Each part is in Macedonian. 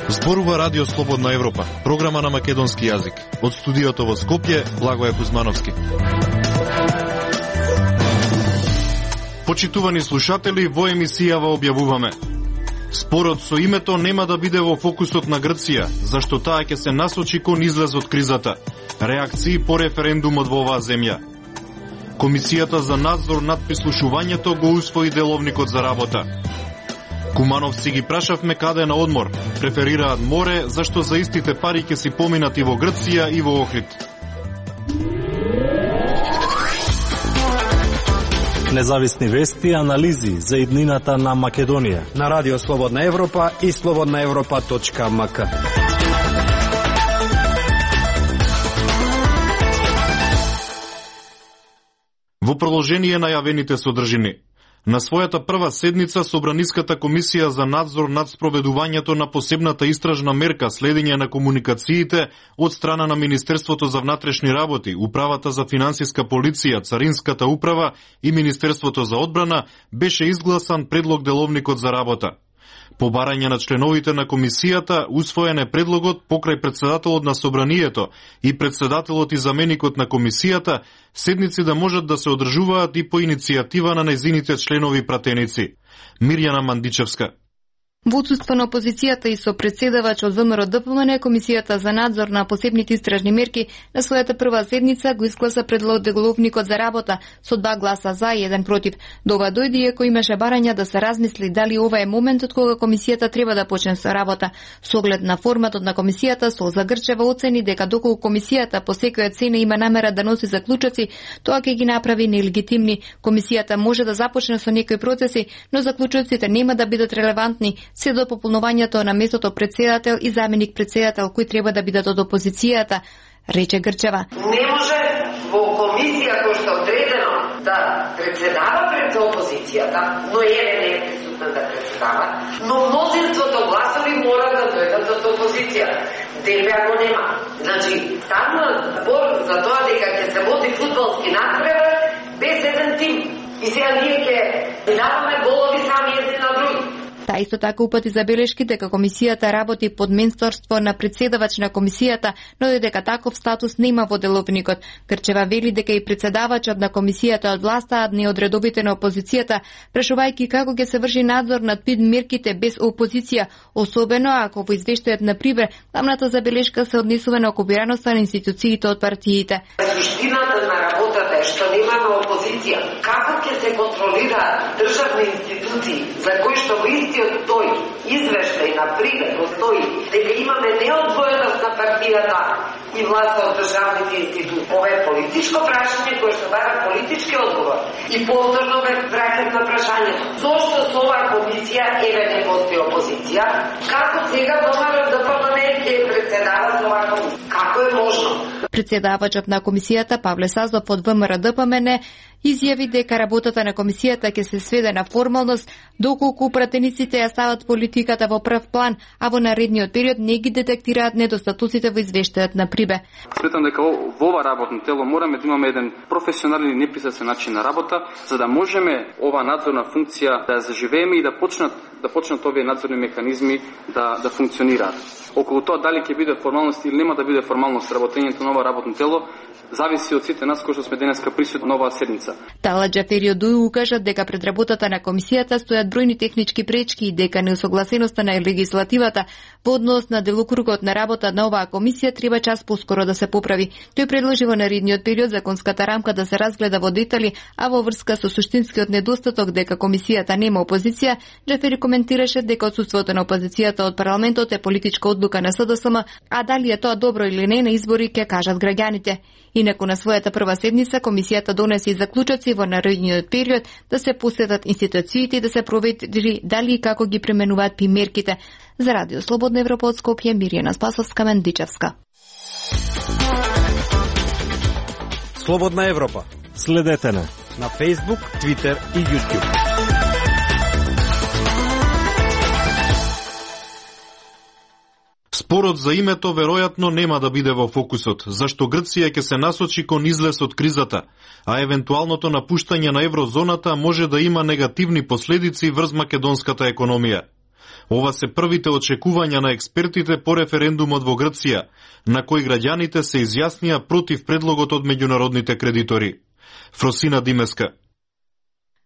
Зборува Радио Слободна Европа, програма на македонски јазик. Од студиото во Скопје, Благоје Кузмановски. Почитувани слушатели, во емисијава објавуваме: спорот со името нема да биде во фокусот на Грција, зашто таа ќе се насочи кон излез од кризата. Реакции по референдумот во оваа земја. Комисијата за надзор над прислушувањето го усвои деловникот за работа. Кумановци ги прашавме каде на одмор. Преферираат море, зашто за истите пари ќе си поминат и во Грција и во Охрид. Независни вести и анализи за иднината на Македонија на Радио Слободна Европа и slobodnaevropa.mk. Во продолжение на јавените содржини. На својата прва седница Собраниската комисија за надзор над спроведувањето на посебната истражна мерка следење на комуникациите од страна на Министерството за внатрешни работи, Управата за финансиска полиција, Царинската управа и Министерството за одбрана беше изгласан предлог деловникот за работа. По барање на членовите на комисијата, усвоен е предлогот покрај председателот на Собранието и председателот и заменикот на комисијата, седници да можат да се одржуваат и по иницијатива на нејзините членови пратеници. Мирјана Мандичевска. Во отсуство на опозицијата и со председавач од ВМРО-ДПМН, Комисијата за надзор на посебните истражни мерки на својата прва седница го изгласа предлог деловникот за работа со 2 гласа за и 1 против. До ова дојде иако имаше барања да се размисли дали ова е моментот кога комисијата треба да почне со работа. Со оглед на форматот на комисијата, Солза Грчева оцени дека доколку комисијата по секоја цена има намера да носи заклучоци, тоа ќе ги направи нелегитимни. Комисијата може да започне со некои процеси, но заклучоците нема да бидат релевантни се до пополнувањето на местото председател и заменик председател кои треба да бидат од опозицијата, рече Грчева. Не може во комисија која што одредено да председава пред опозицијата, но не е присутна да председава, но мнозинството гласови мора да дојдат од опозиција. ДП го нема. Значи, станува збор за тоа дека ќе се води фудбалски надпревар без еден тим. И сега ние ќе даваме голови сами едни на други. Та исто така упати забелешки дека комисијата работи под менторство на председавач на комисијата, но дека таков статус нема во деловникот. Грчева вели дека и председавачот на комисијата од власта, а не од редовите на опозицијата, прашувајќи како ќе се врши надзор над мерките без опозиција, особено ако во извештајот на Прибер тамната забелешка се однесува на окупираноста на институциите од партиите. Суштината на работата е што немаме опозиција. Како ќе се контролираат државни институции за кои што во истиот тој извештај на Прибер стои дека имаме неодвоеност на партијата и власта од државните институции. Ова е политичко прашање кое што бара политички одговор. И повторно ме враќам на прашањето. Зошто со оваа комисија еве не постои опозиција? Како сега ВМРО-ДПМН ќе председава со оваа комисија? Како е можно? Председавачот на комисијата Павле Сазов од ВМРО-ДПМН изјави дека работата на комисијата ќе се сведе на формалност доколку пратениците ја стават политиката во прв план, а во наредниот период не ги детектираат недостатоците во извештајот на Прибе. Сметам дека во ова работно тело мораме да имаме еден професионален и непристрасен начин на работа, за да можеме ова надзорна функција да ја заживееме и да почнат овие надзорни механизми да функционираат. Околу тоа дали ќе биде формалност или нема да биде формалност работењето на ова работно тело, зависи од сите нас кои што сме денеска присутни на оваа седница. Тала Џафери од УИ укажа дека пред работата на комисијата стојат бројни технички пречки и дека неусогласеноста на легислативата во однос на делокругот на работа на оваа комисија треба час поскоро да се поправи. Тој предложи во наредниот период законската рамка да се разгледа во детали, а во врска со суштинскиот недостаток дека комисијата нема опозиција, Џафери коментираше дека отсуството на опозицијата од парламентот е политичка одлука на СДСМ, а дали е тоа добро или не на избори ќе кажат граѓаните. Инаку на својата прва седница комисијата донесе и заклучоци во наредниот период да се посетат институциите и да се провери дали и како ги применуваат мерките. За Радио Слободна Европа од Скопје, Мирјана Спасовска, Мандичевска. Слободна Европа. Следете на Facebook, Twitter и YouTube. Спорот за името веројатно нема да биде во фокусот, зашто Грција ќе се насочи кон излез од кризата, а евентуалното напуштање на еврозоната може да има негативни последици врз македонската економија. Ова се првите очекувања на експертите по референдумот во Грција, на кој граѓаните се изјаснија против предлогот од меѓународните кредитори. Фросина Димеска.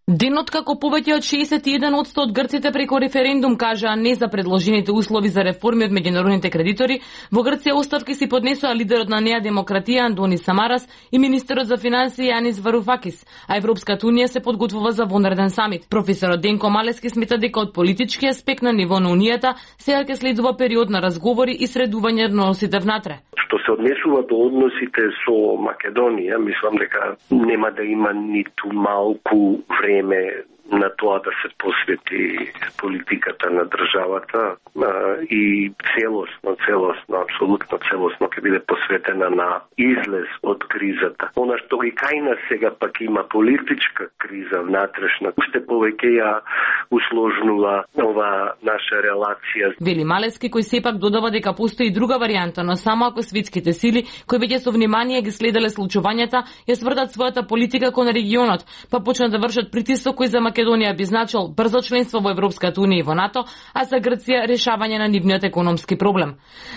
Денот како повеќе од 61% од грците преко референдум кажаа не за предложените услови за реформи од меѓународните кредитори, во Грција оставки си поднесоа лидерот на Неа Демократија Антонис Самарас и министерот за финансии Јанис Варуфакис, а Европската унија се подготвува за вонреден самит. Професорот Денко Малески смета дека од политички аспект на ниво на унијата сега ќе следува период на разговори и средување на односите внатре. Што се однесува до односите со Македонија, мислам дека нема да има ниту малку време на тоа да се посвети политиката на државата и целосно, апсолутно целосно ќе биде посветена на излез од кризата. Она што и кај нас сега пак има политичка криза внатрешна, уште повеќе ја усложнува ова наша релација. Вели Малески, кој сепак додава дека постои друга варијанта, но само ако светските сили, кои веќе со внимание ги следеле случувањата, ја сврдат својата политика кон регионот, па почнат да вршат притисок кој за Македонија би значил брзо членство во Европската унија и во НАТО, а за Грција решавање на нивниот економски проблем.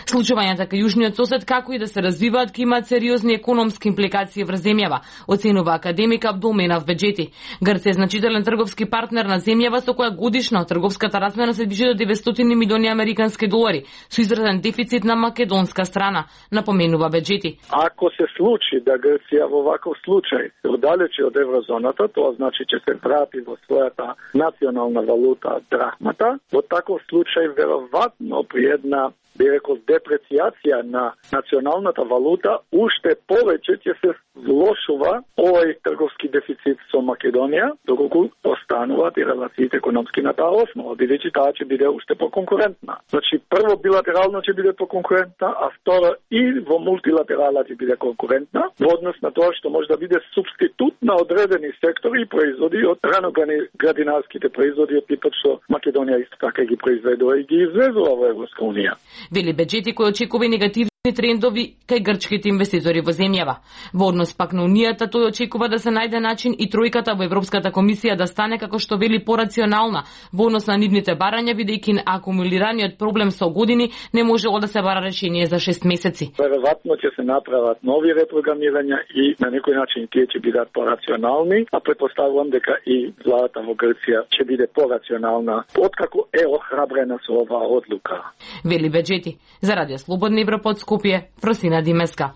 Случувањата кај јужниот сосед, како и да се развиваат, ќе имаат сериозни економски импликации врз земјава, оценува академик Абдулменав Беџети. Грција е значителен трговски партнер на земјава со која годишно трговската размена се движи до 900 милиони американски долари, со изразен дефицит на македонска страна, напоменува Беџети. Ако се случи да Грција во ваков случај се оддалечи од еврозоната, тоа значи ќе се врати во својата национална валута драхмата. Во таков случај веројатно при една би рекол депрeciјација на националната валута уште повеќе ќе се влошува овој трговски дефицит со Македонија, доколку остануваат и релациите економски на таа основа, бидејќи таа ќе биде уште поконкурентна. Значи прво билатерално ќе биде поконкурентна, а второ и во мултилатерала ќе биде конкурентна во однос на тоа што може да биде субститут на одредени сектори и производи од раноградинарските производи од типот што Македонија исто така ги произведува и ги извезува во Европска унија. Вели Беџети, кој очекува негативни трендови кај грчките инвеститори во земјава. Во однос пак на унијата, тој очекува да се најде начин и тројката во Европската комисија да стане, како што вели, порационална во однос на нивните барања, бидејќи акумулираниот проблем со години не можело да се бара решение за 6 месеци. Веројатно ќе се направат нови репрограмирања и на некој начин тие ќе бидат порационални, а претпоставувам дека и владата во Грција ќе биде порационална, откако е охрабрена со оваа одлука. Вели Беџети. За Радио Слободна Европа од Скопје, Фросина Димеска.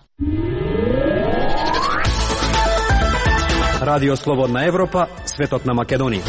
Радио Слободна Европа, светот на Македонија.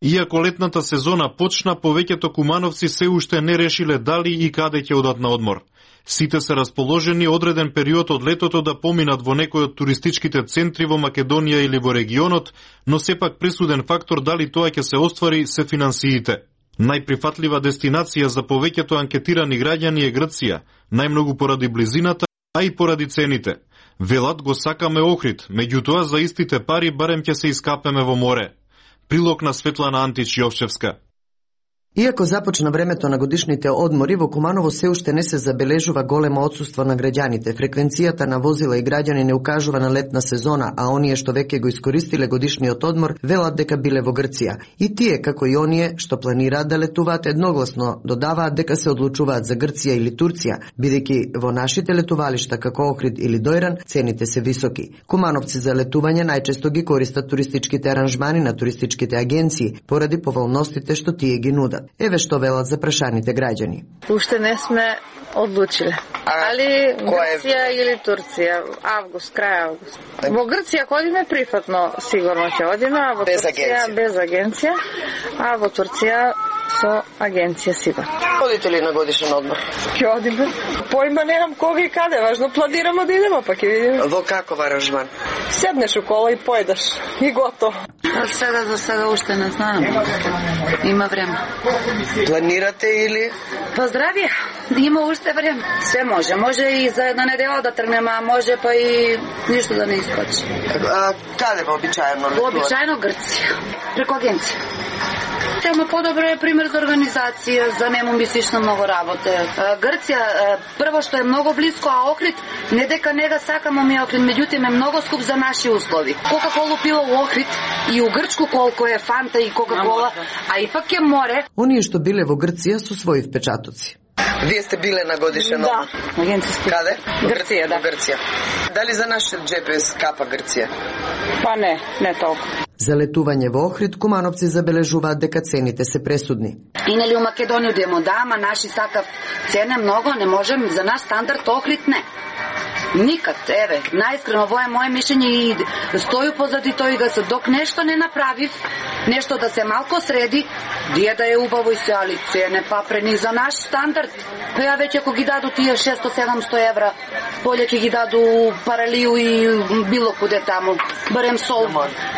Иако летната сезона почна, повеќето кумановци се уште не решиле дали и каде ќе одат на одмор. Сите се расположени одреден период од летото да поминат во некој од туристичките центри во Македонија или во регионот, но сепак пресуден фактор дали тоа ќе се оствари се финансиите. Најприфатлива дестинација за повеќето анкетирани граѓани е Грција, најмногу поради близината, а и поради цените. Велат го сакаме Охрид, меѓутоа за истите пари барем ќе се искапеме во море. Прилог на Светлана Антич Јовчевска. Иако започна времето на годишните одмори, во Куманово се уште не се забележува големо отсуство на граѓаните. Фреквенцијата на возила и граѓани не укажува на летна сезона, а оние што веќе го искористиле годишниот одмор велат дека биле во Грција. И тие, како и оние што планираат да летуваат, едногласно додаваат дека се одлучуваат за Грција или Турција, бидејќи во нашите летувалишта како Охрид или Дојран цените се високи. Кумановци за летување најчесто ги користат туристичките аранжмани на туристичките агенции поради поволностите што тие ги нудат. Еве што велат за прашаните граѓани. Уште не сме одлучиле. Али Грција или Турција, август, крај август. Во Грција ако одиме прифатно, сигурно ќе одиме, а во Турција без агенција, а во Турција со агенција сигурно. Одите ли на годишен одмор? Ќе одиме. Поима немам кога и каде, важно планираме да идеме, па ќе видиме. Во каков аранжман? Седнеш у кола и поедаш и готово. За сега уште не знам. Има време. Планирате или? Поздравија. Има уште време. Се може. Може и за една недела да тргнеме, а може па и ништо да не искочи. Каде вообичаено летувате? Вообичаено Грција. Преку агенција. Тема подобро е пример за организација, за нему ми слично многу работе. Грција прво што е многу близко, а Охрид не дека не да сакамо ми Охрид, меѓутоа е многу скуп за наши услови. Кока-колу пила у Охрид и у Грчку колку е Фанта и Кока-кола, а ипак е море. Оние што биле во Грција со своји впечатоци. Вие сте биле на годишен одмор? Да, агенцијски. Каде? Грција, да. Грција. Дали за нашиот GPS капа Грција? Па не толку. За летување во Охрид, кумановци забележуваат дека цените се пресудни. И нели у Македонија демо да, ама наши сакав цене многу, не можем, за наш стандард Охрид не. Никад, еве, наискрено, во е моje мишење и стоју позади тој се док нешто не направив, нешто да се малко среди, дие да е убаво и се, али цене па прени за наш стандард. Па ја веќе ако ги даду тие 600-700 евра, поле ќе ги даду Паралију и било куде таму, барем сол.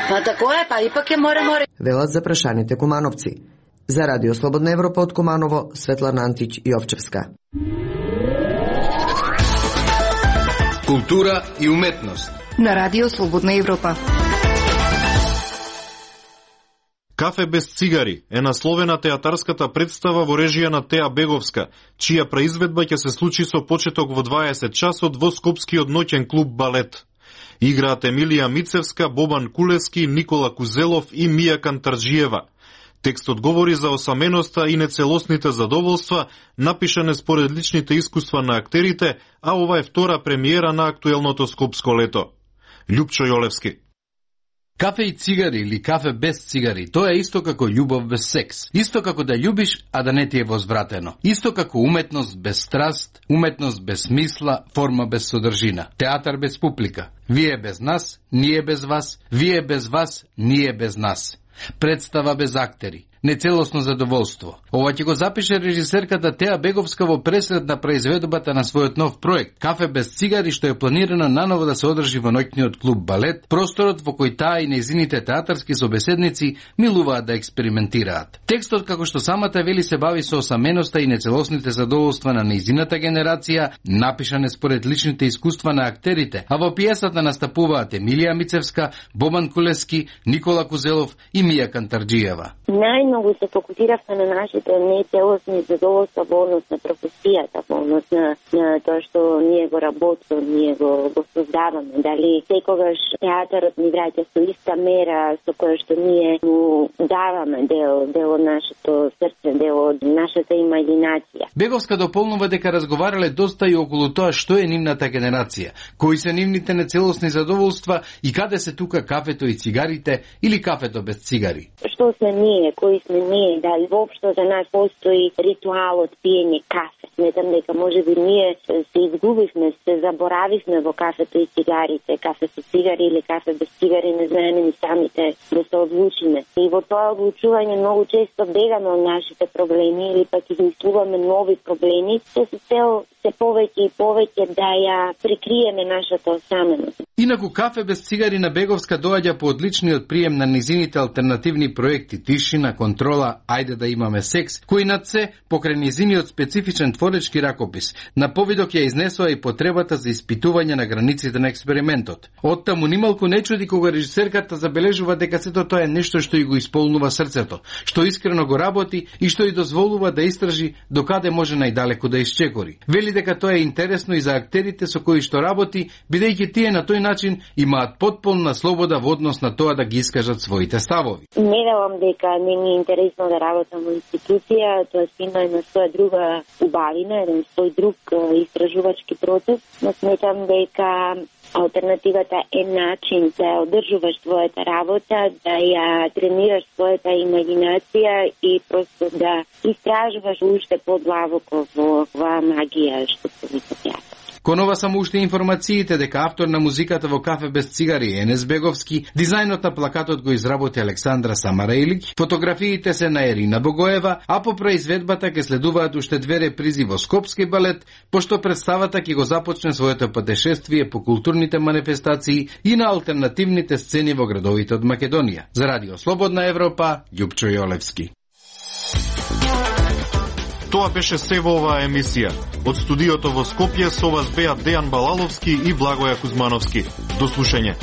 Па тако е, па ипак е море. Велат за прашаните кумановци. За Радио Слободна Европа од Куманово, Светлана Антич Јовчевска. Култура и уметност на Радио Слободна Европа. Кафе без цигари е насловена театарската представа во режија на Теа Беговска, чија преизведба ќе се случи со почеток во 20 часот во Скопскиот ноќен клуб Балет. Играат Емилија Мицевска, Бобан Кулески, Никола Кузелов и Мија Кантарджиева. Текстот говори за осаменоста и нецелосните задоволства, напишане според личните искуства на актерите, а ова е втора премиера на актуелното скопско лето. Љупчо Јолевски. Кафе и цигари или кафе без цигари, тоа е исто како љубов без секс. Исто како да љубиш, а да не ти е возвратено. Исто како уметност без страст, уметност без смисла, форма без содржина. Театар без публика. Вие без нас, ние без вас, вие без вас, ние без нас. Представа без актери. Нецелосно задоволство. Ова ќе го запише режисерката Теа Беговска во пресред на произведбата на својот нов проект Кафе без цигари, што е планирано наново да се одржи во ноќниот клуб Балет, просторот во кој таа и нејзините театарски собеседници милуваат да експериментираат. Текстот, како што самата вели, се бави со осаменоста и нецелосните задоволства на нејзината генерација, напишане според личните искуства на актерите, а во пиесата настапуваат Емилија Мицевска, Бобан Кулески, Никола Кузелов и Мија Кантарджиева. Многу се фокусиравме на нашите нецелосни задоволства во однос на професијата, во однос на тоа што ние го работиме, ние го создаваме. Дали секогаш театарот ни враќа со иста мера со која што ние му даваме дел од нашето срце, дел од нашата имагинација. Беговска дополнува дека разговарале доста и околу тоа што е нивната генерација, кои се нивните нецелосни задоволства и каде се тука кафето и цигарите или кафето без цигари. Што сме ние, кои сме ние, дали воопшто за нас постои ритуалот пиење кафе. Сметам дека можеби ние се изгубивме, се заборавивме во кафето и цигарите. Кафе со цигари или кафе без цигари, не знаеме ни самите да се одлучиме. И во тоа одлучување многу често бегаме од нашите проблеми или пак измислуваме нови проблеми, се цел се повеќе и повеќе да ја прикриеме нашата осаменост. Инаку кафе без цигари на Беговска доаѓа по одличниот прием на низините алтернативни проекти Тишина, Контрола, Ајде да имаме секс, кои над се покрај низиниот специфичен творечки ракопис на повидок ја изнесува и потребата за испитување на границите на експериментот. Оттаму нималку не чуди кога режисерката забележува дека сето тоа е нешто што и го исполнува срцето, што искрено го работи и што и дозволува да истражи докаде може најдалеку да исчекори. Вели дека тоа е интересно и за актерите со кои што работи, бидејќи тие на тој начин имаат потполна слобода во однос на тоа да ги искажат своите ставови. Не велам дека не ми е интересно да работам во институција, тоа има една своја друга убавина, еден свој друг истражувачки процес, но сметам дека алтернативата е начин да одржуваш својата работа, да ја тренираш својата имагинација и просто да истражуваш уште подлабоко во оваа магија што се вика театар. Кон ова само уште информациите дека автор на музиката во Кафе без цигари Енес Беговски, дизајнот на плакатот го изработи Александра Самараилик, фотографиите се на Ерина Богоева, а по произведбата ќе следуваат уште две репризи во Скопски балет, пошто представата ќе го започне своето патешествие по културните манифестации и на алтернативните сцени во градовите од Македонија. За Радио Слободна Европа, Љупчо Јолевски. Тоа беше се во оваа емисија. Од студиото во Скопје со вас беа Дејан Балаловски и Благоја Кузмановски. До слушање.